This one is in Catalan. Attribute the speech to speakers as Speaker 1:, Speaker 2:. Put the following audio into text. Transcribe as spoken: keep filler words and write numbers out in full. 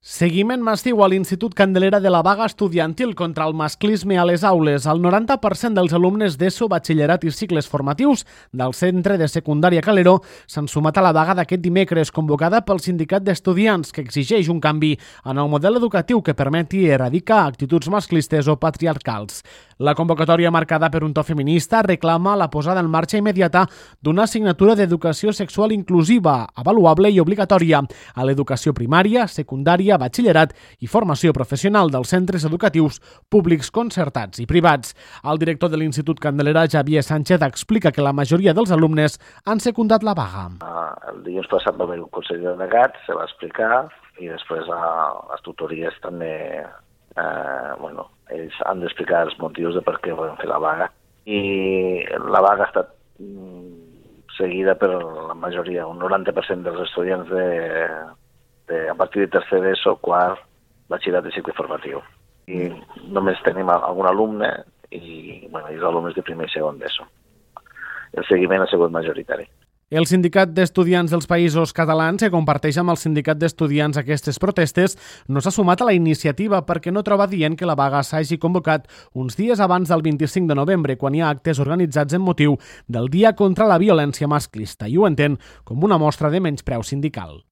Speaker 1: Seguiment massiu a l'Institut Candelera de la vaga estudiantil contra el masclisme a les aules. El noranta per cent dels alumnes d'ESO, batxillerat i cicles formatius del centre de secundària Calero s'han sumat a la vaga d'aquest dimecres, convocada pel sindicat d'estudiants, que exigeix un canvi en el model educatiu que permeti erradicar actituds masclistes o patriarcals. La convocatòria, marcada per un to feminista, reclama la posada en marxa immediata d'una assignatura d'educació sexual inclusiva, avaluable i obligatòria a l'educació primària, secundària, batxillerat i formació professional dels centres educatius públics, concertats i privats. El director de l'Institut Candelera, Xavier Sánchez, explica que la majoria dels alumnes han secundat la vaga.
Speaker 2: El dilluns passat va haver un consell de delegats, se va explicar, i després a les tutories també, eh, bueno, ells han d'explicar els motius de per què volen fer la vaga. I la vaga ha estat seguida per la majoria, un noranta per cent dels estudiants de De, a partir de tercer d'ESO, quart, batxillerat i cicle formatiu. I només tenim algun alumne i, bueno, i els alumnes de primer i segon d'ESO. El seguiment ha sigut majoritari.
Speaker 1: El sindicat d'estudiants dels Països Catalans, que comparteix amb el sindicat d'estudiants aquestes protestes, no s'ha sumat a la iniciativa perquè no troba dient que la vaga s'hagi convocat uns dies abans del vint-i-cinc de novembre, quan hi ha actes organitzats en motiu del Dia contra la Violència Masclista, i ho entén com una mostra de menyspreu sindical.